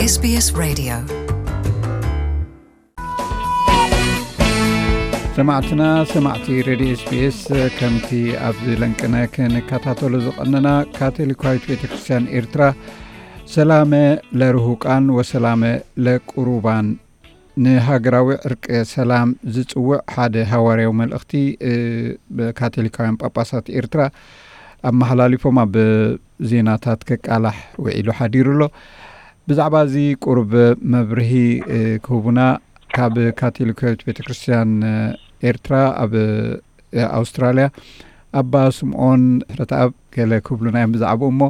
SBS Radio. ሰማዕትና ሰማዕቲ ሬድዮ ኤስቢኤስ፣ ከምቲ ኣብዚ ለንቅነ ክንከታተሎ ዝቐነና፣ ካቶሊካዊት ቤተ ክርስቲያን ኤርትራ ሰላመ ለርሁቃን ወሰላመ ለቁሩባን ንሃገራዊ ዕርቀ ሰላም ዝጽውዕ ሓደ ሃዋርያዊ መልእኽቲ፣ እ፣ ብካቶሊካውያን ጳጳሳት ኤርትራ ኣመሓላሊፎም ኣብ ዜናታት ከቃላሕ ውዒሉ ሓዲሩ ኣሎ። ብዛዕባ እዚ ቁሩብ መብርሂ፣ እ፣ ክህቡና ካብ ካቶሊካዊት ቤተክርስትያን፣ እ፣ ኤርትራ ኣብ፣ እ፣ ኣውስትራልያ ኣባ ስምዖን ሕረተኣብ ገለ ክብሉና እዮም ብዛዕባኡ። እሞ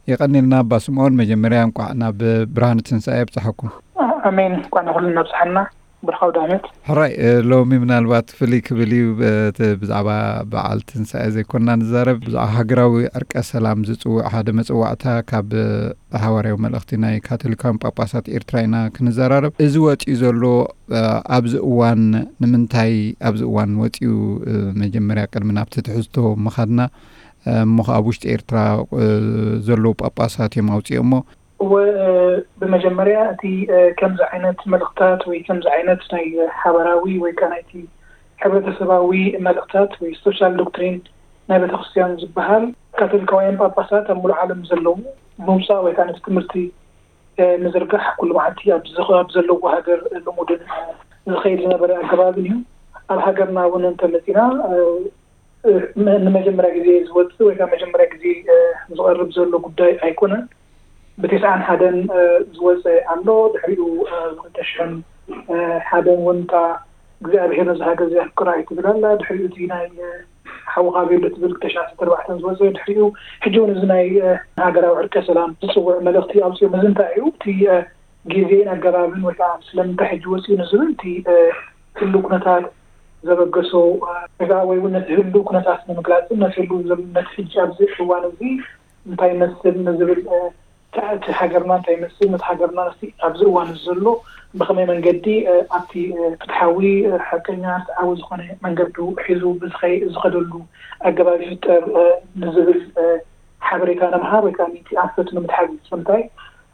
የቐንየልና ኣባ ስምዖን፣ መጀመርያ እንቋዕ ናብ ብርሃነ ትንሳኤ ኣብጽሓኩም። ኣሜን። እንኳዕ ንኹልና ኣብጽሓና። ብርኻው ዳመት። ሕራይ፣ እ፣ ሎሚ ምናልባት ፍልይ ክብል እዩ፣ እ፣ እቲ ብዛዕባ በዓል ትንሳኤ ዘይኮንና ንዛረብ፣ ብዛዕባ ሃገራዊ ዕርቀ ሰላም ዝጽውዕ ሓደ መጽዋዕታ ካብ፣ እ፣ ሃዋርያዊ መልእኽቲ ናይ ካቶሊካውያን ጳጳሳት ኤርትራ ኢና ክንዘራረብ። እዚ ወጺኡ ዘሎ፣ እ፣ ኣብዚ እዋን ንምንታይ ኣብዚ እዋን ወጺኡ፣ እ፣ መጀመርያ ቅድሚ ናብቲ ትሕዝቶ ምኻድና፣ እ፣ እሞ ከኣ ኣብ ውሽጢ ኤርትራ፣ እ፣ ዘለዉ ጳጳሳት እዮም ኣውጺኦሞ። እወ፣ እ፣ ብመጀመርያ እቲ፣ እ፣ ከምዚ ዓይነት መልእኽታት ወይ ከምዚ ዓይነት ናይ ሓበራዊ ወይ ከኣ ናይቲ ሕብረተሰባዊ መልእኽታት ወይ ሶሻል ዶክትሪን ናይ ቤተክርስትያን ዝበሃል ካቶሊካውያን ጳጳሳት ኣብ ሙሉእ ዓለም ዘለዉ ምውጻእ ወይ ከኣ ነቲ ትምህርቲ፣ እ፣ ምዝርጋሕ ኩሉ መዓልቲ ኣብ ዝኸ-፣ ኣብ ዘለዎ ሃገር ልሙድን፣ እ፣ ዝኸይድ ዝነበረ ኣገባብን እዩ። ኣብ ሃገርና እውን እንተመጺና፣ እ፣ እ፣ ን-፣ ንመጀመርያ ግዜ ዝወጽእ ወይ ከዓ መጀመርያ ግዜ፣ እ፣ ዝቐርብ ዘሎ ጉዳይ ኣይኮነን። ብተስዓን ሓደን፣ እ፣ ዝወጸ ኣሎ። ድሕሪኡ፣ እ፣ ብክልተ ሽሕን ሓደን እውን እታ እግዚኣብሔር ነዚ ሃገር እዚ ኣፍቅራ እዩ ትብል ኣላ። ድሕሪኡ እቲ ናይ፣ እ፣ ሓውኻ ቤሎ ትብል ክልተ ሽሕን ዓሰርተ ኣርባዕተን ዝወጸ። ድሕሪኡ ሕጂ እውን እዚ ናይ፣ እ፣ ሃገራዊ ዕርቀ ሰላም ዝጽውዕ መልእኽቲ ኣውጺኦም። እዚ እንታይ እዩ? እቲ፣ እ፣ ግዜን ኣገባብን ወይ ከዓ ስለምንታይ ሕጂ ወፂኡ ንዝብል እቲ፣ እ፣ ህሉ ኩነታት ዘበገሶ፣ እ፣ ወይ ከዓ ወይ እውን ነቲ ህሉ ኩነታት ንምግላፅን ነቲ ህሉ ዘ-፣ ነቲ ሕጂ ኣብዚ እዋን እዚ እንታይ ይመስል ንዝብል፣ እ፣ እቲ፣ እቲ ሃገርና እንታይ ይመስል፣ ነቲ ሃገርና ነቲ ኣብዚ እዋን እዚ ዘሎ ብኸመይ መንገዲ፣ እ፣ ኣብቲ፣ እ፣ ፍትሓዊ፣ እ፣ ሓቀኛ፣ ርትዓዊ ዝኾነ መንገዱ ሒዙ ብዝኸ-፣ ዝኸደሉ ኣገባብ ይፍጠር፣ እ፣ ንዝብል፣ እ፣ ሓበሬታ ንምሃብ ወይ ከዓ ነቲ ኣንፈት ንምትሓዝ። ስለምንታይ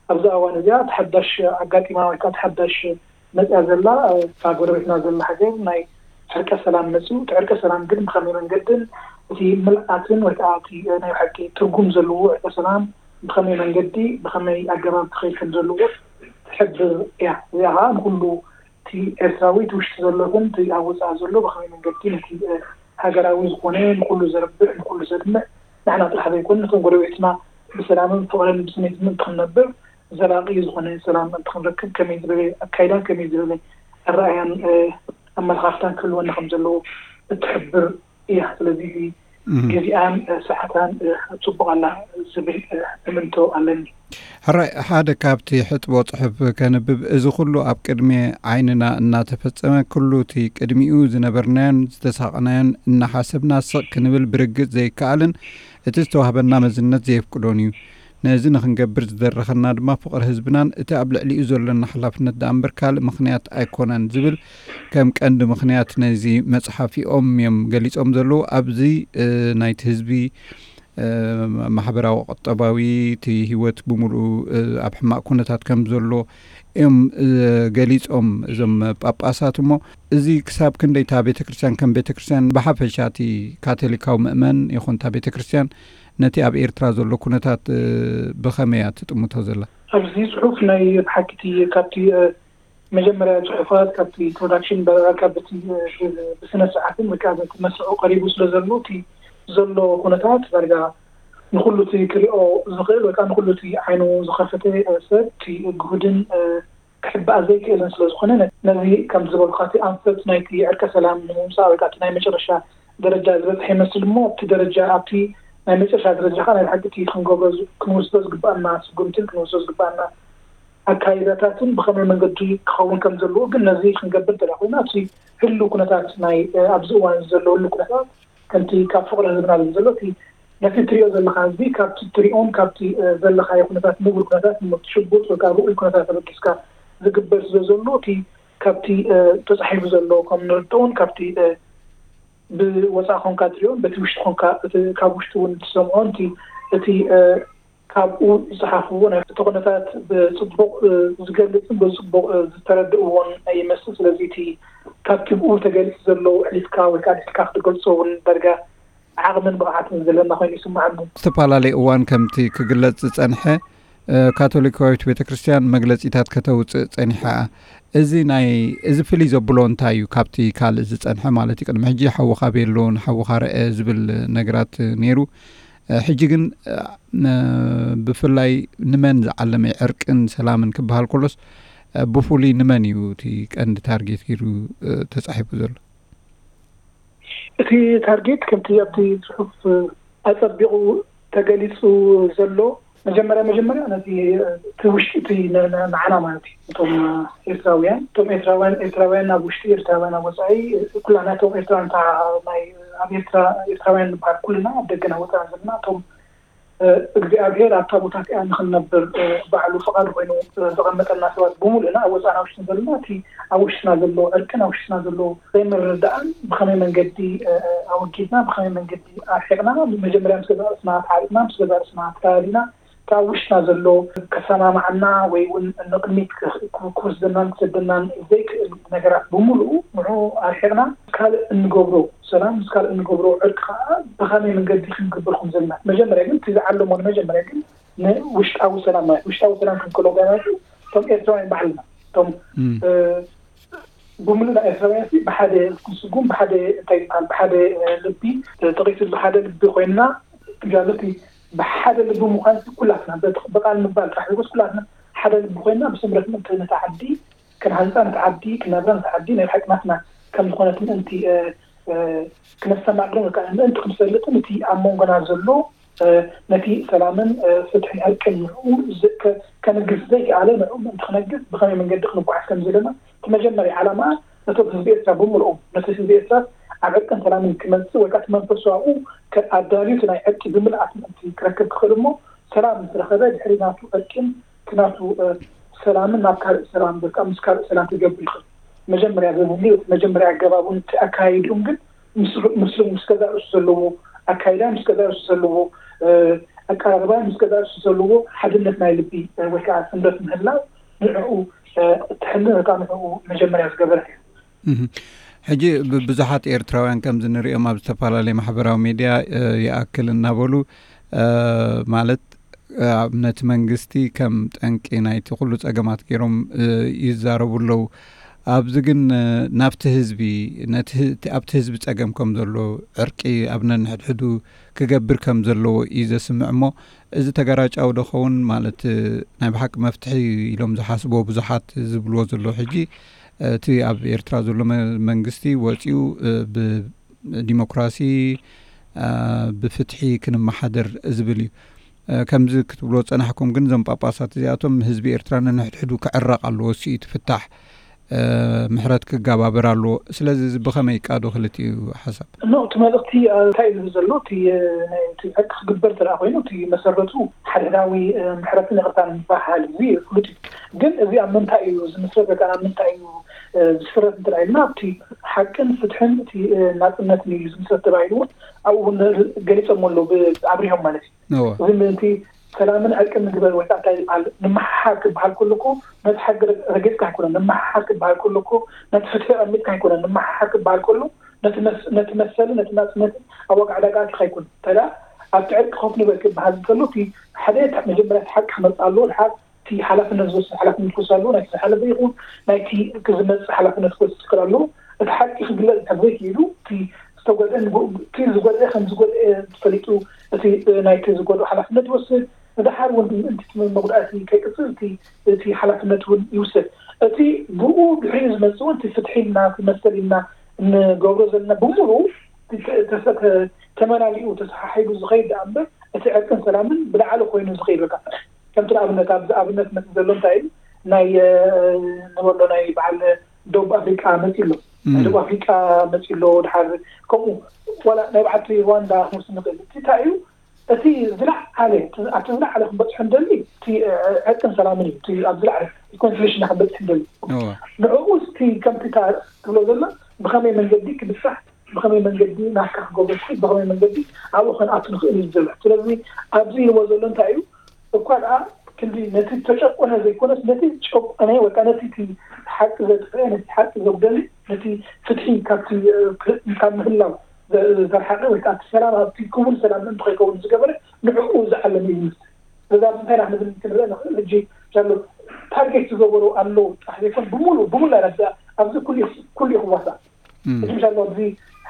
ኣብዚ እዋን እዚኣ እቲ ሓዳሽ ኣጋጢማ ወይ ከዓ እቲ ሓዳሽ መፅያ ዘላ፣ እ፣ እታ ጎረቤትና ዘላ ሃገር ናይ ዕርቀ ሰላም መፅዩ። እቲ ዕርቀ ሰላም ግን ብኸመይ መንገድን እቲ ምልኣትን ወይ ከዓ እቲ፣ እ፣ ናይ ብሓቂ ትርጉም ዘለዎ ዕርቀ ሰላም ብኸመይ መንገዲ ብኸመይ ኣገባብ ክኸይድ ከም ዘለዎ ትሕብር እያ። እዚኣ ከዓ ንኩሉ እቲ ኤርትራዊ እቲ ውሽጢ ዘሎ ይኹን እቲ ኣብ ወፃኢ ዘሎ ብኸመይ መንገዲ ነቲ፣ እ፣ ሃገራዊ ዝኾነ ንኩሉ ዘርብሕ ንኩሉ ዘድምዕ ንሕና ጥራሕ ዘይኮነ ነቶም ጎረቤትና ብሰላምን ፍቕርን ብስኒትን እንትኽንነብር ዘላቒ ዝኾነ ሰላም እንትኽንረክብ ከመይ ዝበለ ኣካይዳን ከመይ ዝበለ ኣረኣያን፣ እ፣ ኣመለኻኽታን ክህልወና ከም ዘለዎ እትሕብር እያ። ስለዚ እዚ እም። ግዜኣን፣ እ፣ ሰዓታን፣ እ፣ ጽቡቕ ኣላ ዝብል፣ እ፣ እምንቶ ኣለኒ። ሕራይ፣ ሓደ ካብቲ ሕጥቦ ጽሑፍ ከንብብ፣ እዚ ኩሉ ኣብ ቅድሚ ዓይንና እናተፈጸመ፣ ኩሉ እቲ ቅድሚኡ ዝነበርናዮን ዝተሳቐናዮን እናሓሰብና ስቕ ክንብል ብርግጽ ዘይከኣልን እቲ ዝተዋህበና መዝነት ዘየፍቅዶን እዩ። ነዚ ንኽንገብር ዝደረኸና ድማ ፍቕሪ ህዝብናን እቲ ኣብ ልዕሊኡ ዘሎና ሓላፍነት ደኣ እምበር ካልእ ምኽንያት ኣይኮነን ዝብል ከም ቀንዲ ምኽንያት ነዚ መጽሓፊኦም እዮም ገሊጾም ዘለዉ። ኣብዚ፣ እ፣ ናይቲ ህዝቢ፣ እ፣ ማሕበራዊ፣ ቁጠባዊ፣ እቲ ህይወት ብምሉኡ፣ እ፣ ኣብ ሕማቕ ኩነታት ከም ዘሎ እዮም፣ እ፣ ገሊጾም እዞም ጳጳሳት። እሞ እዚ ክሳብ ክንደይ እታ ቤተ ክርስቲያን ከም ቤተ ክርስቲያን ብሓፈሻ እቲ ካቶሊካዊ ምእመን ይኹን እታ ቤተ ክርስቲያን ነቲ ኣብ ኤርትራ ዘሎ ኩነታት፣ እ፣ ብኸመይ እያ ትጥምቶ ዘላ? ኣብዚ ጽሑፍ ናይ ብሓቂ እቲ ካብቲ፣ እ፣ መጀመርያ ጽሑፋት ካብቲ ኢንትሮዳክሽን ዳርጋ ካብቲ፣ እ፣ ብ-፣ ብስነ ስርዓትን ወይ ከዓ በቲ መስርዑ ቀሪቡ ስለ ዘሎ እቲ ዘሎ ኩነታት ዳርጋ ንኹሉ እቲ ክሪኦ ዝኽእል ወይ ከዓ ንኹሉ እቲ ዓይኑ ዝኸፈተ፣ እ፣ ሰብ እቲ ግሁድን፣ እ፣ ክሕባእ ዘይክእልን ስለ ዝኾነ ነ-፣ ነዚ ከም ዝበልኳ እቲ ኣንፈት ናይቲ ዕርቀ ሰላም ንምምጻእ ወይ ከዓ እቲ ናይ መጨረሻ ደረጃ ዝበጽሐ ይመስል እሞ ኣብቲ ደረጃ ኣብቲ ናይ መጨረሻ ደረጃ ከዓ ናይ ብሓቂ እቲ ክንገብሮ ዝ-፣ ክንወስዶ ዝግባኣና ስጉምትን ክንወስዶ ዝግባኣና ኣካይዳታትን ብኸመይ መንገዲ ክኸውን ከም ዘለዎ ግን ነዚ ክንገብር እንተደኣ ኮይና እቲ ህሉ ኩነታት ናይ፣ እ፣ ኣብዚ እዋን ዘሎ ህሉ ኩነታት ከምቲ ካብ ፍቕሪ ህዝብና ዝብል ዘሎ እቲ ነቲ ትሪኦ ዘለኻ ህዝቢ ካብቲ ትሪኦን ካብቲ፣ እ፣ ዘለኻዮ ኩነታት ንቡር ኩነታት ንሞት ሽቡጥ ወይ ከዓ ርኡይ ኩነታት ተበጊስካ ዝግበር ስለ ዘሎ እቲ ካብቲ፣ እ፣ ተጻሒፉ ዘሎ ከም ንርድኦን ካብቲ፣ እ፣ ብወፃኢ ኮንካ ትሪኦን በቲ ውሽጢ ኮንካ እቲ ካብ ውሽጢ እውን ትሰምዖን እቲ፣ እቲ፣ እ፣ ካብኡ ዝጸሓፍዎ ናይ እቲ ኩነታት ብጽቡቕ ዝገልጽን ብጽቡቕ ዝተረድእዎን ይመስል። ስለዚ እቲ ካብቲ ብኡ ተገሊጹ ዘሎ ዕሊትካ ወይ ከዓ ልትካ ክትገልጾ እውን ዳርጋ ዓቕምን ብቕዓትን ዘለና ኮይኑ ይስምዓኒ። ዝተፈላለየ እዋን ከምቲ ክግለጽ ዝጸንሐ ካቶሊካዊት ቤተ ክርስቲያን መግለጺታት ከተውጽእ ጸኒሓ። እዚ ናይ እዚ ፍልይ ዘብሎ እንታይ እዩ? ካብቲ ካልእ ዝጸንሐ ማለት እዩ። ቅድሚ ሕጂ ሓውኻ ቤሎ ንሓውኻ ርአ ዝብል ነገራት ነይሩ። ሕጂ ግን ብፍላይ ንመን ዝዓለመ ዕርቅን ሰላምን ክበሃል ከሎስ ብፍሉይ ንመን እዩ እቲ ቀንዲ ታርጌት ገይሩ ተጻሒፉ ዘሎ? እቲ ታርጌት ከምቲ ኣብቲ ጽሑፍ ኣጸቢቑ ተገሊጹ ዘሎ፣ መጀመርያ መጀመርያ ነቲ እቲ ውሽጢ እቲ ንዓና ማለት እዩ፣ እቶም ኤርትራውያን እቶም ኤርትራውያን ኤርትራውያን ኣብ ውሽጢ፣ ኤርትራውያን ኣብ ወጻኢ፣ ኩላና እቶም ኤርትራውያን ናይ ኣብ ኤርትራ ኤርትራውያን ንበሃል ኩልና ኣብ ደገን ኣብ ወጻእን ዘለና እቶም እግዚኣብሔር ኣብታ ቦታ እቲኣ ንክንነብር ባዕሉ ፍቓዱ ኮይኑ ዘቐመጠልና ሰባት ብምሉእና ኣብ ወፃእና ውሽጥን ዘለና እቲ ኣብ ውሽጥና ዘሎ ዕርቅን ኣብ ውሽጥና ዘሎ ዘይምርዳእን ብኸመይ መንገዲ ኣወጊድና ብኸመይ መንገዲ ኣርሒቕና መጀመርያ ምስ ገዛ ርእስና ተዓሪቕና ምስ ገዛ ርእስና ተላሊና እቲ ኣብ ውሽጥና ዘሎ ከሰማማዓና ወይ እውን ንቕድሚት ክወስደናን ክሰደናን ዘይክእል ነገራት ብምሉኡ ንዑ ኣርሒቕና ካልእ እንገብሮ ሰላም ምስ ካልእ እንገብሮ ዕርቂ ከዓ ብኸመይ መንገዲ ክንገብር ከም ዘለና መጀመርያ ግን እቲ ዝዓለሞ ንመጀመርያ ግን ንውሽጣዊ ሰላም ማለት ውሽጣዊ ሰላም ክንክሎ ጋናቱ እቶም ኤርትራውያን ባዕልና እቶም ብምሉእ ናይ ኤርትራውያን ሲ ብሓደ ክንስጉም ብሓደ እንታይ ይበሃል ብሓደ ልቢ ተቂሱ ብሓደ ልቢ ኮይንና ጋለቲ ብሓደ ልቢ ምኳን ኩላትና ብቃል ምባል ጥራሕ ዘይኮስ ኩላትና ሓደ ልቢ ኮይንና ብስምረት ምእንቲ ነታ ዓዲ ክንሃንፃ ነቲ ዓዲ ክነብራ ነቲ ዓዲ ናይ ሓቂ ናትና ከም ዝኾነት ምእንቲ ክነስተማቅርን ምእንቲ ክንፈልጥን እቲ ኣብ መንጎና ዘሎ ነቲ ሰላምን ፍትሕን ዕርቅን ንዕኡ ከንግስ ዘይከኣለ ንዕኡ ምእንቲ ክነግስ ብኸመይ መንገዲ ክንጓዓዝ ከም ዘለና እቲ መጀመርያ ዓላማ ነቶም ህዝቢ ኤርትራ ብምልኦም ነቲ ህዝቢ ኤርትራ ኣብ ዕርቅን ሰላምን ክመፅእ ወይ ከዓ እቲ መንፈሱ ኣብኡ ኣዳልዩ እቲ ናይ ዕርቂ ብምልኣት ምእንቲ ክረክብ ክኽእል እሞ ሰላም ምስ ረኸበ ድሕሪ ናቱ ዕርቅን እቲ ናቱ ሰላምን ናብ ካልእ ሰላም ወይ ከዓ ምስ ካልእ ሰላም ክገብር ይኽእል። መጀመርያ ዘድልዩ እቲ መጀመርያ ኣገባቡን እቲ ኣካያይድኡን ግን ምስ ምስ ምስ ገዛእ ርእሱ ዘለዎ ኣካይዳ ምስ ገዛእ ርእሱ ዘለዎ ኣቀራርባ ምስ ገዛእ ርእሱ ዘለዎ ሓድነት ናይ ልቢ ወይ ከዓ ስምረት ምህላው ንዕኡ እትሕልን ወይ ከዓ ንዕኡ መጀመርያ ዝገበረት እያ። ሕጂ ብዙሓት ኤርትራውያን ከምዚ ንሪኦም ኣብ ዝተፈላለየ ማሕበራዊ ሚድያ ይኣክል እናበሉ ማለት ነቲ መንግስቲ ከም ጠንቂ ናይቲ ኩሉ ጸገማት ገይሮም ይዛረቡ ኣለዉ። ኣብዚ ግን ናብቲ ህዝቢ ኣብቲ ህዝቢ ጸገም ከም ዘሎ ዕርቂ ኣብ ነንሕድሕዱ ክገብር ከም ዘለዎ እዩ ዘስምዕ እሞ እዚ ተጋራጫዊ ዶ ኸውን ማለት ናይ ብሓቂ መፍትሒ ኢሎም ዝሓስብዎ ብዙሓት ዝብልዎ ዘለዉ ሕጂ እቲ ኣብ ኤርትራ ዘሎ መንግስቲ ወፂኡ ብዲሞክራሲ ብፍትሒ ክንመሓደር ዝብል እዩ። ከምዚ ክትብሎ ዝጸናሕኩም ግን እዞም ጳጳሳት እዚኣቶም ህዝቢ ኤርትራ ነንሕድሕዱ ክዕረቕ ኣለዎ፣ እሱ እዩ እቲ ፍታሕ፣ ምሕረት ክጋባበር ኣለዎ። ስለዚ እዚ ብኸመይ ይቃዶ ክልቲኡ ሓሳብ? ኖ እቲ መልእኽቲ እንታይ ዝብል ዘሎ እቲ ዕርቂ ክግበር ተደኣ ኮይኑ እቲ መሰረቱ ሓድሕዳዊ ምሕረትን ይቕርታን ዝበሃል እዚ ፍሉጥ እዩ። ግን እዚ ኣብ ምንታይ እዩ ዝምስረት ወይ ከዓ ኣብ ምንታይ እዩ ዝስረት እንተ ኢልና ኣብቲ ሓቅን ፍትሕን እቲ ናፅነትን እዩ ዝምስረት ተባሂሉ እውን ኣብኡ እውን ገሊፆም ኣለዉ ኣብሪሆም ማለት እዩ። እዚ ምእንቲ ሰላምን ዕርቅን ንግበር ወይ ከዓ እንታይ ዝበሃል ንምሓሓር ክበሃል ከሎ እኮ ነቲ ሓቂ ረጊፅካ ኣይኮነን። ንምሓሓር ክበሃል ከሎ እኮ ነቲ ፍትሒ ኣቐሚጥካ ኣይኮነን። ንምሓሓር ክበሃል ከሎ ነቲ መሰሊ ነቲ ናፅነትን ኣብ ዋጋ ዕዳጋ ኣቲኻ ኣይኮነን። እንታይ ደኣ ኣብቲ ዕርቂ ኮፍ ንበል ክበሃል እንከሎ እቲ ሓደ መጀመርያ እቲ ሓቂ ክመፅእ ኣለዎ። ድሓር እቲ ሓላፍነት ዝወስድ ሓላፍነት ክወስድ ኣለዎ። ናይቲ ዝሓለፈ ይኹን ናይቲ ዝመፅእ ሓላፍነት ክወስድ ክኽእል ኣለዎ። እቲ ሓቂ ክግለፅ እንተ ዘይክኢሉ እቲ ዝተጎድአ እቲ ዝጎድአ ከም ዝጎድአ ተፈሊጡ እቲ ናይቲ ዝጎድኡ ሓላፍነት ይወስድ። ንደሓር እውን ምእንቲ እቲ መጉዳእቲ ከይቅፅል እቲ ሓላፍነት እውን ይውሰድ። እቲ ብኡ ድሕሪኡ ዝመፅእ እውን እቲ ፍትሒ ኢልና እቲ መሰል ኢልና እንገብሮ ዘለና ብምሉኡ ተመላሊኡ ተሰሓሒቡ ዝኸይድ ደኣ እምበር እቲ ዕርቅን ሰላምን ብላዕሊ ኮይኑ ዝኸይድ በቃ ከምቲ ንኣብነት ኣብዚ ኣብነት መፅእ ዘሎ እንታይ እዩ ናይ ንበሎ ናይ በዓል ደቡብ ኣፍሪቃ መፅእ ኣሎ ናይ ደቡብ ኣፍሪቃ መፅእ ኣሎ ድሓር ከምኡ ዋላ ናይ በዓልቲ ሩዋንዳ ክንወስድ ንኽእል እቲ እንታይ እዩ እቲ ዝለዓለ ኣብቲ ዝለዓለ ክንበፅሖ እንደሊ እቲ ዕርቅን ሰላምን እዩ እቲ ኣብ ዝለዓለ ሪኮንሲሌሽን ክንበፅሕ እንደሊ ንዕኡ እቲ ከምቲ ትብሎ ዘሎ ብኸመይ መንገዲ ክብፃሕ ብኸመይ መንገዲ ናትካ ክገብሮ ትኽእል ብኸመይ መንገዲ ኣብኡ ከነኣቱ ንኽእል እዩ ዘሎ ስለዚ ኣብዚ ኢልዎ ዘሎ እንታይ እዩ እኳ ደኣ ክንዲ ነቲ ተጨቆነ ዘይኮነስ ነቲ ጨቆነ ወይ ከዓ ነቲ እቲ ሓቂ ዘጥፍአ ነቲ ሓቂ ዘጉደለ ነቲ ፍትሒ ካብቲ ካብ ምህላው ዘርሓቀ ወይ ከዓ ሰላም ኣብቲ ክቡር ሰላም እንተኸይከውን ዝገበረ ንዕኡ ዝዓለመ ይመስል። በዛ እንታይ ዳ ክንብል ክንርአ ንኽእል ሕጂ ዘሎ ታርጌት ዝገበሩ ኣለዉ ጥራሕ ዘይኮን ብሙሉ ብሙሉ ኣይረዳእ ኣብዚ ኩሉ ኩሉ ይኽዋሳእ። ሕጂ ምሻሎ ኣብዚ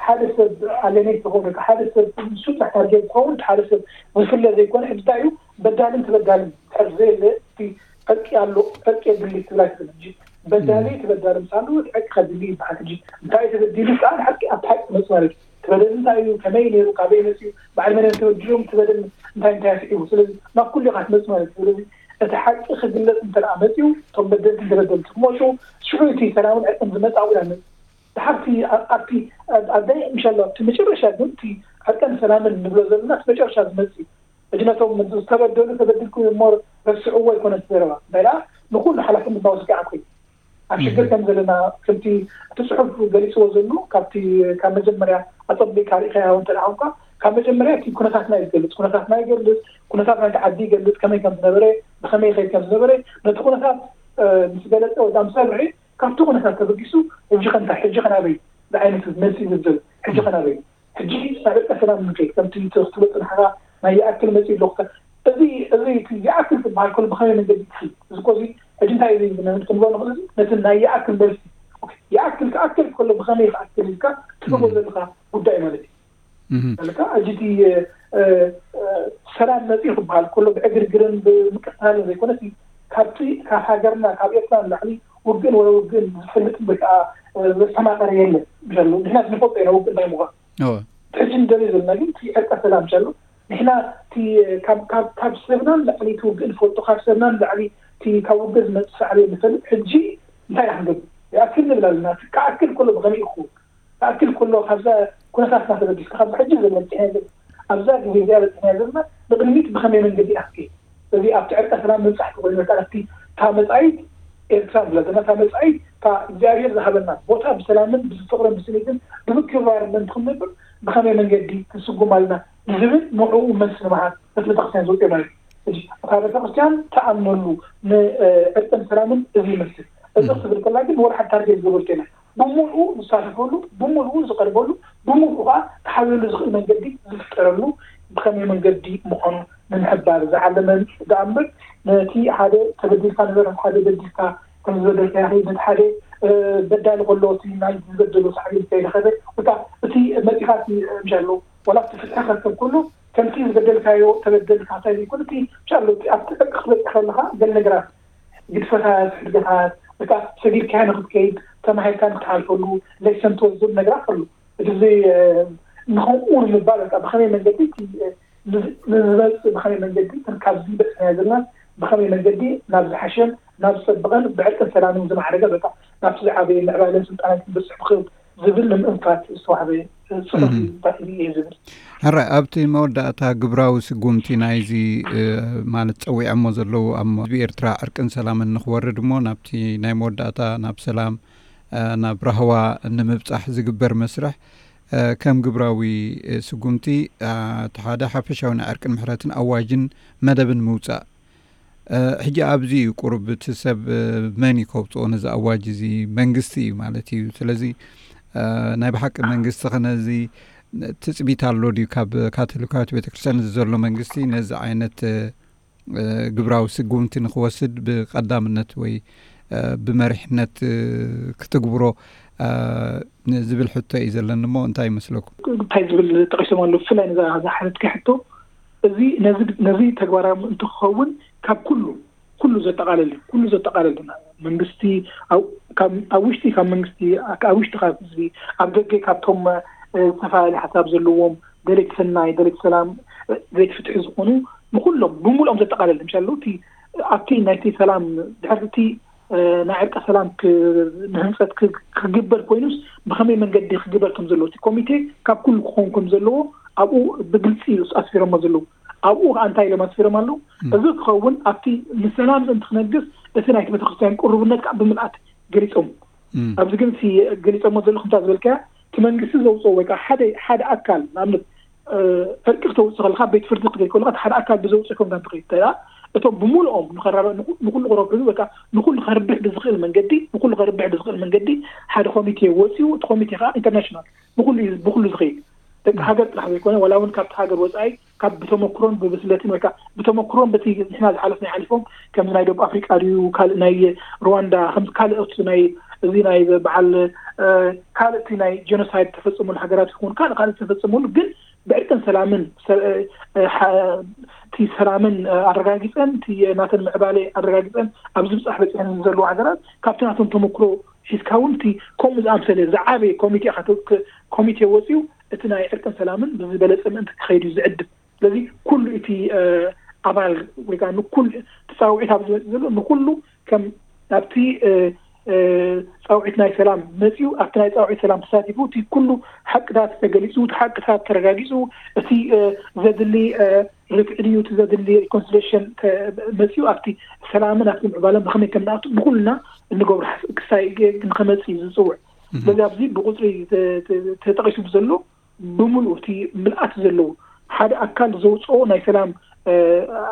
ሓደ ሰብ ኣሌኔት ዝኸውን ሓደ ሰብ ንሱ ጥራሕ ታርጌት ዝኸውን ሓደ ሰብ ዝፍለ ዘይኮነ ሕጂ እንታይ እዩ በዳልን ተበዳልን ድሕር ዘየለ እቲ ዕርቂ ኣሎ ዕርቂ የድሊ ትብል ኣይትኽእል ሕጂ በዳሊ ተበዳሊ ምሳሉ ዕርቂ ከድሊ ይበሃል ሕጂ እንታይ ተበዲሉ ከዓ ሓቂ ኣብቲ ሓቂ መፅእ ማለት እዩ ተበደል እንታይ እዩ ከመይ ነይሩ ካበይ መፅኡ በዓል መን ተበዲሎም ተበደል እንታይ እንታይ ኣስዒቡ ስለዚ ናብ ኩሉ ኢኻ ትመፅእ ማለት እዩ ስለዚ እቲ ሓቂ ክግለፅ እንተ መፅኡ እቶም በደልቲ ተበደልቲ ክመፁ ሽዑ እቲ ሰላምን ዕርቅን ዝመፅእ ኣብኡ ኢና ንመፅእ ድሓርቲ ኣብቲ ኣብዳይ ምሻሎ ኣብቲ መጨረሻ ግን እቲ ዕርቅን ሰላምን ንብሎ ዘለና እቲ መጨረሻ ዝመፅእ እዩ ሕጂ ነቶም ዝተበደሉ ተበድልኩም እሞ ረስዕዎ ኣይኮነን እቲ ዘረባ እንታይ ደኣ ንኩሉ ሓላፍነት ናወስድ ከዓ ኮይኑ ኣብ ሽግር ከም ዘለና ከምቲ እቲ ፅሑፍ ገሊፅዎ ዘሎ ካብቲ ካብ መጀመርያ ኣፀቢቅካ ርኢኻዮ እንተ ደኣ ኮንካ ካብ መጀመርያ እቲ ኩነታትና እዩ ዝገልፅ ኩነታትና ይገልፅ ኩነታት ናይቲ ዓዲ ይገልፅ ከመይ ከም ዝነበረ ብከመይ ይኸይድ ከም ዝነበረ ነቲ ኩነታት ምስ ገለፀ ወይ ምስ ኣብርሀ ካብቲ ኩነታት ተበጊሱ ሕጂ ከ እንታይ ሕጂ ከ ናበይ ዝዓይነቱ መልሲ ዝብል ሕጂ ከ ናበይ ሕጂ ናብ ዕርቀ ሰላም ንከይድ ከምቲ ትብሎ ፅናሕካ ናይ ይኣክል መፂኡ ኣሎ ክተ እዚ እዚ እቲ ይኣክል ዝበሃል ከሎ ብኸመይ መንገዲ ክኸይድ እዚ እኮ እዚ ሕጂ እንታይ እዚ ንብል ክንብሎ ንኽእል እዚ ነቲ ናይ ይኣክል መልሲ ይኣክል ክኣክል ከሎ ብኸመይ ክኣክል ኢልካ ትህቦ ዘለካ ጉዳይ ማለት እዩ ለካ ሕጂ እቲ ሰላም መፂኡ ክበሃል ከሎ ብዕግርግርን ብምቅታልን ዘይኮነስ ካብቲ ካብ ሃገርና ካብ ኤርትራ ንላዕሊ ውግእን ወረ ውግእን ዝፈልጥ ወይ ከዓ ዘስተማቀረ የለን ዘሎ ምክንያት ንፈልጦ ኢና ውግእ እንታይ ምኳን ሕጂ ንደልዮ ዘለና ግን እቲ ዕርቀ ሰላም ዘሎ ንሕና ካብ ሰብና ንላዕሊ እቲ ውግእ ንፈልጦ ካብ ሰብና ንላዕሊ ካብ ውግእ ዝመፅእ ሳዕቤን ንፈልጥ ሕጂ እንታይ ኢና ክንገብር ይኣክል ንብል ኣለና ክኣክል ከሎ ብኸመይ ይኸውን ክኣክል ከሎ ካብዛ ኩነታትና ተበጊስካ ካብዚ ሕጂ ዘለና በፂሕና ዘለና ኣብዛ ግዜ እዚኣ በፂሕና ዘለና ንቅድሚት ብኸመይ መንገዲ ኢና ክንከይድ እዚ ኣብቲ ዕርቀ ሰላም ምብፃሕ ተኮይኑ በቃ ኣብቲ እታ መፃኢት ኤርትራ ንብላ ዘለና እታ መፃኢት እታ እግዚኣብሔር ዝሃበና ቦታ ብሰላምን ብፍቅርን ብስኒትን ብምክብባርን ምእንቲ ክንነብር ብኸመይ መንገዲ ክንስጉም ኣለና ንዝብል ንዕኡ መልሲ ንምሃብ ነቲ ቤተክርስትያን ዝወፅኦ ማለት እዩ እታ ቤተክርስትያን ተኣምነሉ ንዕርቅን ሰላምን እዚ ይመስል እዚ ክትብል ከላ ግን ወላ ሓንቲ ታርጌት ዝገበርቶ የለን ብምልኡ ዝሳተፈሉ ብምልኡ ዝቐርበሉ ብምልኡ ከዓ ክሓብረሉ ዝኽእል መንገዲ ዝፍጠረሉ ብኸመይ መንገዲ ምዃኑ ንምሕባር ዝዓለመ ደኣ እምበር ነቲ ሓደ ተበዲልካ ንበረፍ ሓደ በዲልካ ከም ዝበደልካ ያኺ ነቲ ሓደ በዳሊ ከሎ እቲ ናይ ዝበደሎ ሳዕቤን ከይረኸበ ወይ ከዓ እቲ መፂኻ እቲ ምሻሎ ዋላ እቲ ፍትሒ ከርከብ ከሎ ከምቲ ዝበደልካዮ ተበደልካ እንታይ ዘይኮነ እቲ ምሻሎ ኣብቲ ዕርቂ ክትበፅሕ ከለካ ገለ ነገራት ግድፈታት ሕድገታት ወይ ከዓ ሰጊድካዮ ንክትከይድ ተማሂርካ ንክትሓልፈሉ ሌሰን ትወስደሉ ነገራት ከሎ እቲ ንኸምኡ ንምባል በቃ ብኸመይ መንገዲ እቲ ንዝመፅእ ብኸመይ መንገዲ እተን ካብዚ በፅሕናዮ ዘለና ብኸመይ መንገዲ ናብ ዝሓሸን ናብ ዝፀብቐን ብዕርቅን ሰላምን ዝማዕረገ በቃ ናብቲ ዝዓበየ ምዕባለን ስልጣነን ክንበፅሕ ንኽእል ዝብል ንምእንፋት ዝተዋህበ ፅሑፍ እዩ ተባሂሉ እየ ዝብል። ሕራይ ኣብቲ መወዳእታ ግብራዊ ስጉምቲ ናይዚ ማለት ፀዊዖሞ ዘለዉ ኣብ ህዝቢ ኤርትራ ዕርቅን ሰላምን ንክወርድ እሞ ናብቲ ናይ መወዳእታ ናብ ሰላም ናብ ራህዋ ንምብፃሕ ዝግበር መስርሕ ከም ግብራዊ ስጉምቲ እቲ ሓደ ሓፈሻዊ ናይ ዕርቅን ምሕረትን ኣዋጅን መደብን ምውፃእ ሕጂ ኣብዚ እዩ ቁሩብ እቲ ሰብ መን እዩ ከውፅኦ ነዚ ኣዋጅ እዚ መንግስቲ እዩ ማለት እዩ ስለዚ ናይ ብሓቂ መንግስቲ ከነዚ ትፅቢት ኣሎ ድዩ ካብ ካቶሊካዊት ቤተክርስትያን እዚ ዘሎ መንግስቲ ነዚ ዓይነት ግብራዊ ስጉምቲ ንክወስድ ብቀዳምነት ወይ ብመሪሕነት ክትግብሮ ዝብል ሕቶ እዩ ዘለኒ እሞ እንታይ ይመስለኩም? እንታይ ዝብል ጠቂሶም ኣለዉ ብፍላይ ነዛ ዝሓተትካ ሕቶ እዚ ነዚ ተግባራዊ ምእንቲ ክኸውን ካብ ኩሉ ኩሉ ዘጠቃለል እዩ ኩሉ ዘጠቃለል እዩ መንግስቲ ኣብ ውሽጢ ካብ መንግስቲ ኣብ ውሽጢ ካብ ህዝቢ ኣብ ደገ ካብቶም ዝተፈላለዩ ሓሳብ ዘለዎም ደለይቲ ሰናይ ደለይቲ ሰላም ደለይቲ ፍትሒ ዝኾኑ ንኩሎም ብምልኦም ዘጠቃለል ምሻ ኣለዉ እቲ ኣብቲ ናይቲ ሰላም ድሕርቲ ናይ ዕርቀ ሰላም ንህንፀት ክግበር ኮይኑስ ብከመይ መንገዲ ክግበር ከም ዘለዎ እቲ ኮሚቴ ካብ ኩሉ ክኸውን ከም ዘለዎ ኣብኡ ብግልፂ እዩ ኣስፊሮሞ ዘለዉ ኣብኡ ከዓ እንታይ ኢሎም ኣስፊሮም ኣለዉ እዚ ክኸውን ኣብቲ ንሰላም ምእንቲ ክነግስ እቲ ናይቲ ቤተክርስትያን ቅሩብነት ከዓ ብምልኣት ገሊፆም ኣብዚ ግን ገሊፆሞ ዘለኹ እንታይ ዝበልካያ እቲ መንግስቲ ዘውፅኦ ወይ ከዓ ሓደ ሓደ ኣካል ንኣብነት ዕርቂ ክተውፅእ ከለካ ቤት ፍርዲ ክትከይድ ከለካ ሓደ ኣካል ብዘውፅእ ከም ጋር ትኸይድ እንተ እቶም ብምሉኦም ንኸራረ-፣ ንኹ-፣ ንኹሉ ክረብሑ ወይ ከዓ ንኹሉ ከርብሕ ብዝኽእል መንገዲ፣ ንኹሉ ከርብሕ ብዝኽእል መንገዲ ሓደ ኮሚቴ ወፂኡ፣ እቲ ኮሚቴ ከዓ ኢንተርናሽናል ብኹሉ እዩ፣ ብኹሉ ዝኸይድ። ደቂ ሃገር ጥራሕ ዘይኮነ፣ ዋላ እውን ካብቲ ሃገር ወፃኢ፣ ካብ ብተመክሮን ብብስለትን ወይ ከዓ ብተመክሮን በቲ ንሕና ዝሓለፍና ሓሊፎም፣ ከምዚ ናይ ደቡብ ኣፍሪቃ ድዩ፣ ካልእ ናይ ሩዋንዳ፣ ከምዚ ካልኦት ናይ፣ እዚ ናይ በዓል፣ እ፣ ካልእ እቲ ናይ ጀኖሳይድ ተፈጸመሉ ሃገራት ይኹን ካልእ ካልእ ተፈጸመሉ፣ ግን ብዕርቅን ሰላምን ሰ-፣ እ፣ እ፣ ሓ-፣ እቲ ሰላምን፣ እ፣ ኣረጋጊጸን፣ እቲ ናተን ምዕባለ ኣረጋጊጸን ኣብ ዝብጻሕ በጺሐን ዘለዋ ሃገራት ካብቲ ናቶም ተመክሮ ሒዝካ እውን እቲ ከምኡ ዝኣምሰለ ዝዓበየ ኮሚቴ ኢኻ ተ-፣ ክ-፣ ኮሚቴ ወጺኡ እቲ ናይ ዕርቅን ሰላምን ብዝበለጸ ምእንቲ ክኸይድ እዩ ዝዕድም። ስለዚ ኩሉ እቲ፣ እ፣ ኣባል ወይ ከዓ ንኩሉ እቲ ጻውዒት ኣብ ዝመጽእ ዘሎ ንኩሉ ከም ናብቲ፣ እ፣ እ፣ ጻውዒት ናይ ሰላም መጺኡ፣ ኣብቲ ናይ ጻውዒት ሰላም ተሳቲፉ፣ እቲ ኩሉ ሓቅታት ተገሊጹ፣ እቲ ሓቅታት ተረጋጊጹ፣ እቲ፣ እ፣ ዘድሊ፣ እ፣ ርትዒ ድዩ፣ እቲ ዘድሊ ሪኮንሲሌሽን ተ-፣ መጺኡ፣ ኣብቲ ሰላምን ኣብቲ ምዕባለን ብኸመይ ከም ንኣቱ ንኹልና እንገብሮ ሓስ-፣ ክሳይ ንኸመጽእ እዩ ዝጽውዕ። እህ። ስለዚ ኣብዚ ብቁጽሪ ተ-፣ ተ-፣ ተጠቒሱ ብዘሎ ብምሉኡ እቲ ምልኣት ዘለዎ ሓደ ኣካል ዘውፅኦ ናይ ሰላም፣ እ፣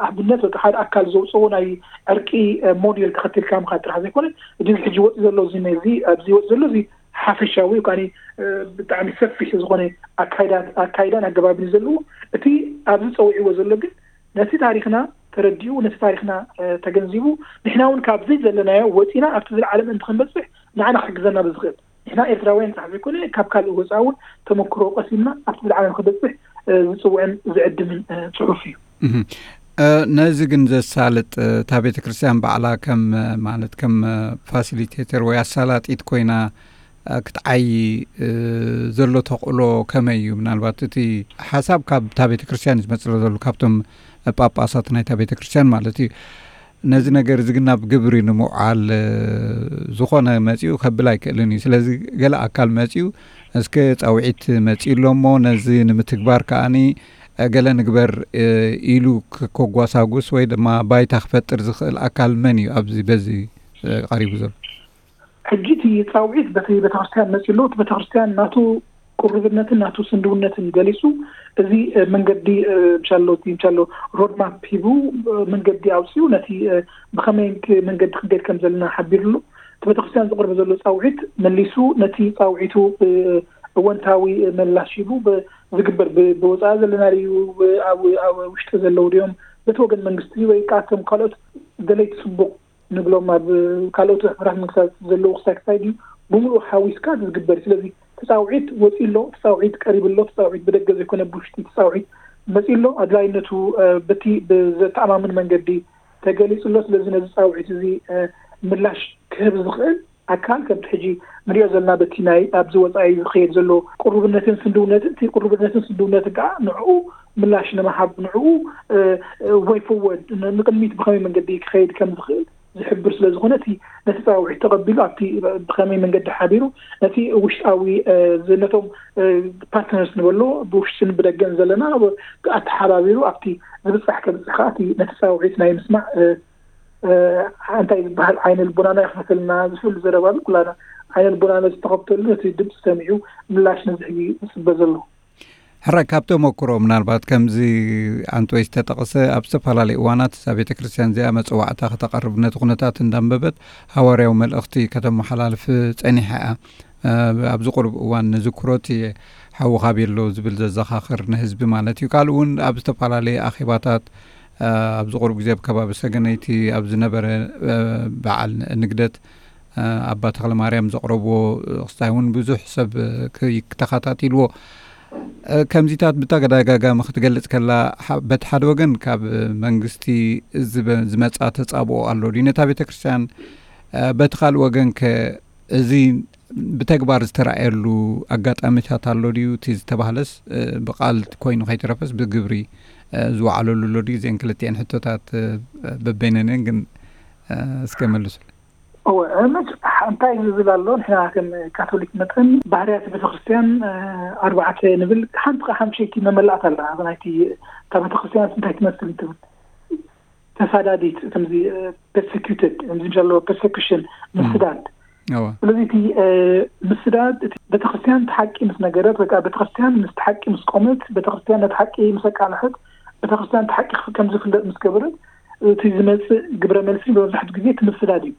ኣብነት ወይ ሓደ ኣካል ዘውፅኦ ናይ ዕርቂ፣ እ፣ ሞዴል ተኸቲልካ ምኻድ ጥራሕ ዘይኮነ፣ እዚ ሕጂ ወፂ ዘሎ እዚ፣ ነዚ ኣብዚ ወፂ ዘሎ እዚ ሓፈሻዊ ወይ ከዓ፣ እ፣ ብጣዕሚ ሰፊሕ ዝኾነ ኣካይዳ-፣ ኣካይዳን ኣገባብን እዩ ዘለዎ። እቲ ኣብዚ ፀዊዕዎ ዘሎ ግን ነቲ ታሪኽና ተረዲኡ፣ ነቲ ታሪኽና፣ እ፣ ተገንዚቡ፣ ንሕና እውን ካብዚ ዘለናዮ ወፂና ኣብቲ ዝለዓለ ምእንቲ ክንበፅሕ ንዓና ክሕግዘና ብዝኽእል፣ ንሕና ኤርትራውያን ጥራሕ ዘይኮነ፣ ካብ ካልእ ወፃኢ እውን ተመክሮ ቀሲምና ኣብቲ ዝለዓለ ንክበፅሕ፣ እ፣ ዝፅውዕን ዝዕድምን፣ እ፣ ጽሑፍ እዩ። እህ። እ፣ ነዚ ግን ዘሳልጥ፣ እ፣ እታ ቤተ ክርስቲያን ባዕላ ከም፣ እ፣ ማለት ከም፣ እ፣ ፋሲሊቴተር ወይ ኣሳላጢት ኮይና፣ እ፣ ክትዓዪ፣ እ፣ ዘሎ ተኽእሎ ከመይ እዩ? ምናልባት እቲ ሓሳብ ካብ እታ ቤተ ክርስቲያን እዩ ዝመጽእ ዘሎ፣ ካብቶም ጳጳሳት ናይታ ቤተ ክርስቲያን ማለት እዩ። ነዚ ነገር እዚ ግን ናብ ግብሪ ንምውዓል፣ እ፣ ዝኾነ መጺኡ ከብል ኣይክእልን እዩ። ስለዚ ገለ ኣካል መጺኡ፣ እስከ ጻውዒት መጺኡ ኣሎ እሞ፣ ነዚ ንምትግባር ከኣኒ፣ እ፣ ገለ ንግበር፣ እ፣ ኢሉ ክ-፣ ከጓሳጉስ ወይ ድማ ባይታ ክፈጥር ዝኽእል ኣካል መን እዩ ኣብዚ በዚ፣ እ፣ ቀሪቡ ዘሎ? ሕጂ እቲ ጻውዒት በቲ ቤተክርስትያን መጺኡ ኣሎ። እቲ ቤተክርስትያን ናቱ ቅሩብነትን ናቱ ስንድውነትን ገሊጹ፣ እዚ፣ እ፣ መንገዲ፣ እ፣ ምሻሎ፣ እቲ ምሻሎ ሮድማፕ ሂቡ፣ እ፣ መንገዲ ኣውጺኡ፣ ነቲ፣ እ፣ ብኸመይ ክ-፣ መንገዲ ክንከይድ ከም ዘለና ሓቢሩ ኣሎ። እቲ ቤተክርስትያን ዝቕርብ ዘሎ ጻውዒት መሊሱ ነቲ ጻውዒቱ፣ እ፣ እወንታዊ ምላሽ ሂቡ ብ-፣ ዝግበር ብ-፣ ብወጻኢ ዘለና ድዩ፣ ብ-፣ ኣብ፣ ኣብ ውሽጢ ዘለዉ ድዮም፣ በቲ ወገን መንግስቲ ወይ ከኣ እቶም ካልኦት ደለይቲ ጽቡቕ ንብሎም ኣብ ካልኦት ሕቡራት መንግስታት ዘለዉ ክሳይ ክሳይ ድዩ ብምሉኡ ሓዊስካ ዝግበር እዩ። ስለዚ እቲ ጻውዒት ወጺኡ ኣሎ፣ እቲ ጻውዒት ቀሪቡ ኣሎ፣ እቲ ጻውዒት ብደገ ዘይኮነ ብውሽጢ እቲ ጻውዒት መጺኡ ኣሎ። ኣድላይነቱ፣ እ፣ በቲ ብዘተኣማምን መንገዲ ተገሊጹ ኣሎ። ስለዚ ነዚ ጻውዒት እዚ፣ እ፣ ምላሽ ክህብ ዝኽእል ኣካል ከምቲ ሕጂ ንሪኦ ዘለና በቲ ናይ ኣብዚ ወጻኢ ዝኸየድ ዘሎ ቅሩብነትን ስንድውነትን፣ እቲ ቅሩብነትን ስንድውነትን ከኣ ንዕኡ ምላሽ ንምሃብ፣ ንዕኡ፣ እ፣ እ፣ ወይ ፎርወርድ ን-፣ ንቕድሚት ብኸመይ መንገዲ ክኸይድ ከም ዝኽእል ዝሕብር ስለ ዝኾነ፣ እቲ ነቲ ጻውዒት ተቐቢሉ ኣብቲ ብኸመይ መንገዲ ሓቢሩ ነቲ ውሽጣዊ፣ እ፣ ዝ-፣ ነቶም፣ እ፣ ፓርትነርስ ንበሎ ብውሽጥን ብደገን ዘለና ብ-፣ ኣተሓባቢሩ ኣብቲ ዝብጻሕ ከብጽሕ ከኣ እቲ ነቲ ጻውዒት ናይ ምስማዕ፣ እ፣ እ፣ እንታይ ዝበሃል ዓይነ ልቦናና ይኽፈተልና ዝብል ዘረባ ኣሎ። ኩላና ዓይነ ልቦናና ዝተኸፍተሉ ነቲ ድምፂ ሰሚዑ ምላሽ ነዚ ሕጂ ዝጽበ ዘሎ። ሕራይ ካብ ተመክሮ ምናልባት ከምዚ ኣንቶይ ዝተጠቕሰ ኣብ ዝተፈላለዩ እዋናት እዛ ቤተ ክርስቲያን እዚኣ መጽዋዕታ ከተቐርብ ነቲ ኩነታት እንዳንበበት ሃዋርያዊ መልእኽቲ ከተመሓላልፍ ጸኒሓ እያ። እ፣ ኣብዚ ቁሩብ እዋን ንዝክሮ እቲ ሓዊ ካበይ ኣሎ ዝብል ዘዘኻኽር ንህዝቢ ማለት እዩ። ካልእ እውን ኣብ ዝተፈላለየ ኣኼባታት፣ እ፣ ኣብዚ ቁሩብ ግዜ ኣብ ከባቢ ሰገነይቲ ኣብ ዝነበረ፣ እ፣ በዓል ንግደት፣ እ፣ ኣባ ተኽለ ማርያም ዘቕረብዎ ክስታይ እውን ብዙሕ ሰብ፣ እ፣ ክይ-፣ ክተኸታቲልዎ። እ፣ ከምዚታት ብተደጋጋሚ ክትገልጽ ከላ፣ ሓ-፣ በቲ ሓደ ወገን ካብ መንግስቲ ዝበ-፣ ዝመጻ ተጻብኦ ኣሎ ድዩ ነታ ቤተ ክርስቲያን? እ፣ በቲ ካልእ ወገን ከ እዚ ብተግባር ዝተራእየሉ ኣጋጣሚታት ኣሎ ድዩ? እቲ ዝተባህለስ፣ እ፣ ብቃል ኮይኑ ከይተረፈስ ብግብሪ፣ እ፣ ዝወዓለሉ ኣሎ ድዩ? እዚአን ክልቲአን ሕቶታት፣ እ፣ በበይነን ግን፣ እ፣ እስከ መልሱ። እወ፣ መች-፣ እንታይ ዝብል ኣሎ? ንሕና ከም ካቶሊክ መጠን ባህርያት ቤተክርስትያን፣ እ፣ ኣርባዕተ ንብል፣ ሓንቲ ከኣ ሓምሸይቲ መመላእታ ኣላ። ኣብ ናይቲ እታ ቤተክርስትያን እንታይ ትመስል እንትብል፣ ተሳዳዲት፣ ከምዚ፣ እ፣ ፐርሰኪዩትድ፣ ከምዚ ምስ ኣለዎ ፐርሰኪሽን፣ ምስዳድ። እወ። ስለዚ እቲ፣ እ፣ ምስዳድ፣ እቲ ቤተክርስትያን እቲ ሓቂ ምስ ነገረት፣ ወይ ከዓ ቤተክርስትያን ምስቲ ሓቂ ምስ ቆመት፣ ቤተክርስትያን ነቲ ሓቂ ምስ ኣቃልሐት፣ ቤተክርስትያን እቲ ሓቂ ከም ዝፍለጥ ምስ ገበረት፣ እቲ ዝመጽእ ግብረ መልሲ መብዛሕትኡ ግዜ እቲ ምስዳድ እዩ።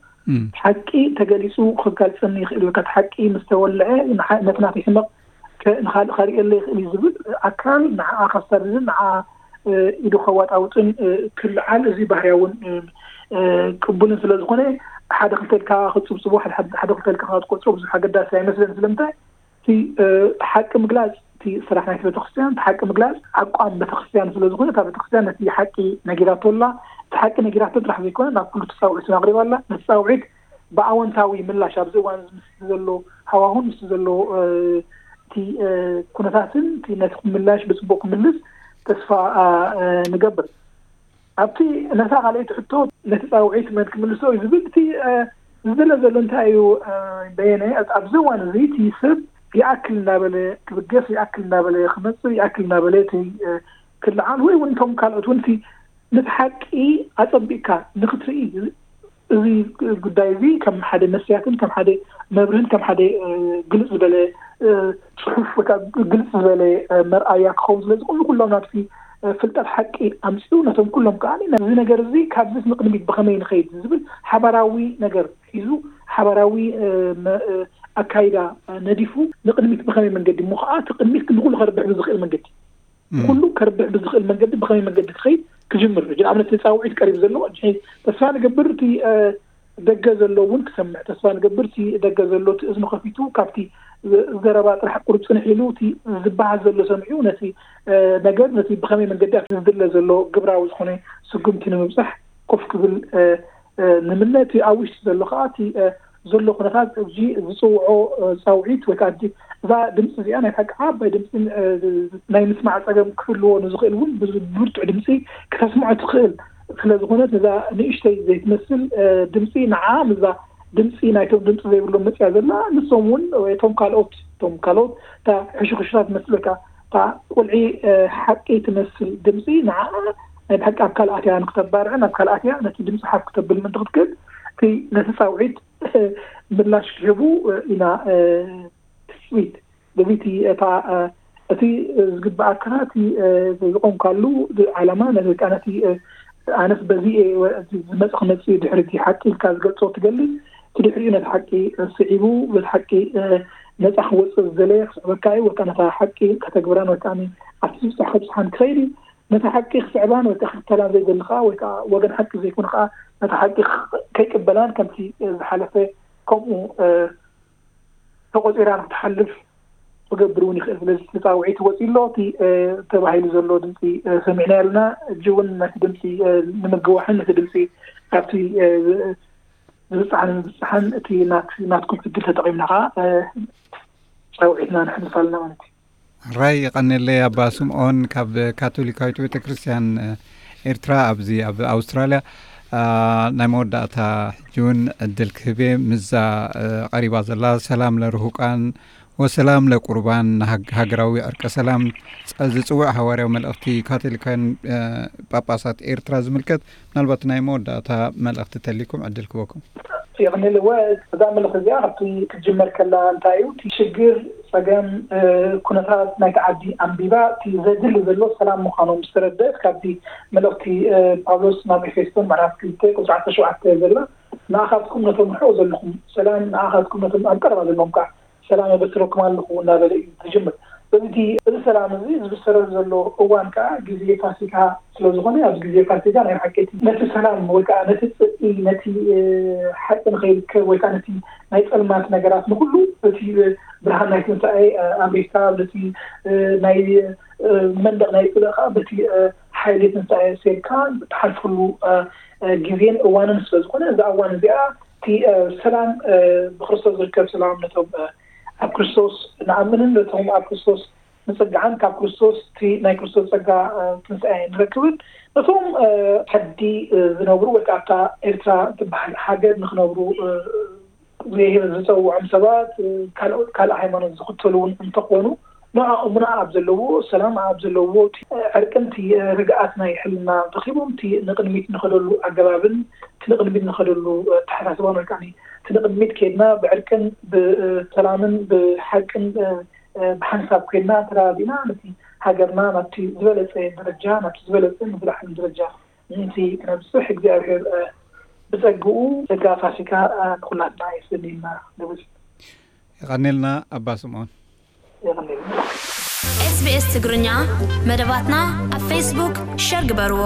ሓቂ ተገሊጹ ክጋልጸኒ ይኽእል እዩ። እቲ ሓቂ ምስ ተወልዐ ንሓ-፣ ነቲ ናተይ ሕመቕ ከ-፣ ንኻልእ ከርእየለ ይኽእል እዩ ዝብል ኣካል ንዓኣ ከሳድድን ንዓኣ ኢዱ ከዋጣውጥን ክልዓል፣ እዚ ባህርያውን ቅቡልን ስለ ዝኾነ፣ ሓደ ክልተ ኢልካ ክጽብጽቦ፣ ሓደ ክልተ ኢልካ ክትቆጽሮ ብዙሕ ኣገዳሲ ኣይመስለን። ስለምንታይ? እቲ ሓቂ ምግላጽ እቲ ስራሕ ናይቲ ቤተክርስትያን፣ እቲ ሓቂ ምግላጽ ኣቋም ቤተክርስትያን ስለ ዝኾነ፣ እታ ቤተክርስትያን ነቲ ሓቂ ነጊራቶ ኣላ። እቲ ሓቂ ነጊራቶ ጥራሕ ዘይኮነ፣ ናብ ኩሉ ተጻውዒት ኣቕሪባ ኣላ። ነቲ ጻውዒት ብኣወንታዊ ምላሽ ኣብዚ እዋን እዚ ምስ ዘሎ ሃዋሁን ምስ ዘሎ እቲ ኩነታትን እቲ ነቲ ምላሽ ብጽቡቕ ክምልስ ተስፋ ንገብር። ኣብቲ ነታ ካልኣይቲ ሕቶ፣ ነቲ ጻውዒት መን ክምልሶ እዩ ዝብል፣ እቲ ዝድለ ዘሎ እንታይ እዩ? በየነ ኣብዚ እዋን እዚ እቲ ሰብ ይኣክል እናበለ ክብገስ፣ ይኣክል እናበለ ክመጽእ፣ ይኣክል እናበለ እቲ ክልዓል ወይ እውን እቶም ካልኦት እውን እቲ ነቲ ሓቂ ኣጸቢቕካ ንኽትርኢ፣ እዚ ጉዳይ እዚ ከም ሓደ መስትያትን ከም ሓደ መብርህን ከም ሓደ ግልጽ ዝበለ ጽሑፍ ወይ ከዓ ግልጽ ዝበለ መርኣያ ክኸውን ስለ ዝኽእል፣ ኩሎም ናብቲ ፍልጠት ሓቂ ኣምጺኡ፣ ነቶም ኩሎም ከዓ እዚ ነገር እዚ ካብዚ ንቕድሚት ብኸመይ ንኸይድ ዝብል ሓባራዊ ነገር ሒዙ፣ ሓባራዊ ኣካይዳ ነዲፉ፣ ንቕድሚት ብኸመይ መንገዲ እሞ ከዓ እቲ ቅድሚት ንኩሉ ከርብሕ ብዝኽእል መንገዲ፣ ኩሉ ከርብሕ ብዝኽእል መንገዲ ብኸመይ መንገዲ ክኸይድ ክጅምር። ንኣብነት ጻውዒት ቀሪብ ዘሎ ተስፋ ንገብር እቲ ደገ ዘሎ እውን ክሰምዕ፣ ተስፋ ንገብር እቲ ደገ ዘሎ እቲ እዝኑ ከፊቱ ካብቲ ዘረባ ጥራሕ ቁሩብ ጽንሕ ኢሉ እቲ ዝበሃል ዘሎ ሰሚዑ ነቲ ነገር ነቲ ብኸመይ መንገዲ ኣብቲ ዝድለ ዘሎ ግብራዊ ዝኾነ ስጉምቲ ንምብጻሕ ኮፍ ክብል ንምነ። እቲ ኣብ ውሽጢ ዘሎ ከዓ እቲ ዘሎ ኩነታት እዚ ዝጽውዖ ጻውዒት ወይ ከዓ እዛ ድምፂ እዚኣ ናይ ሓቂ ዓባይ ድምፂ ናይ ምስማዕ ፀገም ክህልዎ ንዝኽእል እውን ብብርቱዕ ድምፂ ክተስምዖ ትኽእል ስለ ዝኾነት፣ ነዛ ንእሽተይ ዘይትመስል ድምፂ ንዓ ምስዛ ድምፂ ናይቶም ድምፂ ዘይብሎም መፅያ ዘላ፣ ንሶም እውን እቶም ካልኦት እቶም ካልኦት እታ ሕሹኽሹታት መስለካ እታ ቁልዒ ሓቂ ትመስል ድምፂ ንዓ ናይ ብሓቂ ኣብ ካልኣት እያ ንክተባርዕን ኣብ ካልኣት እያ ነቲ ድምፂ ሓፍ ክተብል ምእንቲ ክትክእል እቲ ነቲ ፃውዒት ምላሽ ክህቡ ኢና ትፅቢት። በዚ እቲ እታ እቲ ዝግበኣካ እቲ ዝቆምካሉ ዓላማ ነቲ ኣነስ በዚ ዝመፅ ክመፅእ ድሕሪ እቲ ሓቂ ኢልካ ዝገልፆ ትገልፅ፣ እቲ ድሕሪኡ ነቲ ሓቂ ስዒቡ በቲ ሓቂ ነፃ ክወፅእ ዝደለየ ክስዕበካ እዩ። ወካ ነታ ሓቂ ከተግብራን ወካ ኣብቲ ዝብፃሕ ከብፅሓን ክኸይድ እዩ። ነታ ሓቂ ክስዕባን ወይ ከዓ ክክተላን ዘይደሊ ከዓ ወይ ከዓ ወገን ሓቂ ዘይኮነ ከዓ ነታ ሓቂ ከይቅበላን ከምቲ ዝሓለፈ ከምኡ ተቆፂራ ንክትሓልፍ ክገብር እውን ይኽእል። ስለዚ እቲ ፃውዒት ወፂ ኣሎ፣ እቲ ተባሂሉ ዘሎ ድምፂ ሰሚዕና ኣለና። እጂ እውን ነቲ ድምፂ ንምግዋሕን ነቲ ድምፂ ካብቲ ዝብፅሓን ንምብፅሓን እቲ ናትኩም ዕድል ተጠቒምና ከዓ ፃውዒትና ንሕልፍ ኣለና ማለት እዩ። ራይ ይቐንየለይ ኣባ ስምኦን ካብ ካቶሊካዊት ቤተክርስትያን ኤርትራ ኣብዚ ኣብ ኣውስትራልያ። ናይ መወዳእታ ሕጂ እውን ዕድል ክህብ እየ። ምዛ ቀሪባ ዘላ ሰላም ለርሁቃን ወሰላም ለቁርባን ሃገራዊ ዕርቀ ሰላም ዝፅውዕ ሃዋርያዊ መልእኽቲ ካቶሊካውያን ጳጳሳት ኤርትራ ዝምልከት ምናልባት ናይ መወዳእታ መልእኽቲ ተሊኩም ዕድል ክበኩም። ይቕንል እወ እዛ መልእኽቲ እዚኣ ካብቲ ክትጅመር ከላ እንታይ እዩ እቲ ሽግር ፀገም ኩነታት ናይቲ ዓዲ ኣንቢባ እቲ ዘድሊ ዘሎ ሰላም ምዃኑ ምስ ተረደእት ካብቲ መልእኽቲ ጳውሎስ ናብ ኤፌሶን ምዕራፍ ክልተ ቁፅሪ ዓሰርተ ሸውዓተ ዘላ ንኣኻትኩም ነቶም ርሑቕ ዘለኹም ሰላም ንኣኻትኩም ነቶም ኣብ ቀረባ ዘለኹም ከዓ ሰላም የበስረኩም ኣለኹ እናበለ እዩ ዝጅምር። እዚ እዚ ሰላም እዚ ዝብሰረሉ ዘሎ እዋን ከዓ ግዜ ፋሲካ ስለዝኾነ ኣብዚ ግዜ ፋሲካ ናይ ብሓቂ ነቲ ሰላም ወይ ከዓ ነቲ ፅድቂ ነቲ ሓቂ ንኸይርከብ ወይ ከዓ ነቲ ናይ ፀልማት ነገራት ንኩሉ እቲ ብርሃን ናይ ትንሳኤ ኣብሪካ ነቲ ናይ መንደቕ ናይ ፅልእ ከዓ በቲ ሓይሊ ትንሳኤ ሴርካ ትሓልፈሉ ግዜን እዋንን ስለዝኾነ እዛ እዋን እዚኣ እቲ ሰላም ብክርስቶስ ዝርከብ ሰላም ነቶም ኣብ ክርስቶስ ንኣምንን ነቶም ኣብ ክርስቶስ ንፅግዓን ካብ ክርስቶስ እቲ ናይ ክርስቶስ ፀጋ ትንሳኤ ንረክብን ነቶም ዓዲ ዝነብሩ ወይ ከዓ ኣብታ ኤርትራ ትበሃል ሃገር ንክነብሩ ዝፀውዖም ሰባት ካልእ ሃይማኖት ዝኽተሉ እውን እንተኾኑ ንዕኦም ንኣ ኣብ ዘለዎ ሰላም ኣብ ዘለዎ ዕርቅን እቲ ርግኣት ናይ ሕልና ረኪቦም እቲ ንቅድሚት ንኸደሉ ኣገባብን እቲ ንቅድሚት ንኸደሉ ኣተሓሳስባን ወይ ከዓ እቲ ንቅድሚት ከይድና ብዕርቅን ብሰላምን ብሓቅን ብሓንሳብ ኮይና ተረዳዲእና ነቲ ሃገርና ናብቲ ዝበለፀ ደረጃ ናብቲ ዝበለፀ ንዝለዓለ ደረጃ ምእንቲ ክነብፅሕ እግዚኣብሔር ብፀግኡ ጸጋ ፋሲካ ንኩላትና የስልልና ንብል። የቐኔልና ኣባ ስምዖን። የቐኔልና። SBS ትግርኛ መደባትና ኣብ ፌስቡክ ሸር ግበርዎ።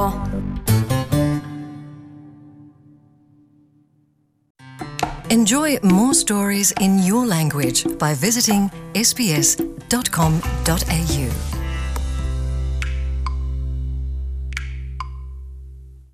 Enjoy more stories in your language by visiting sbs.com.au.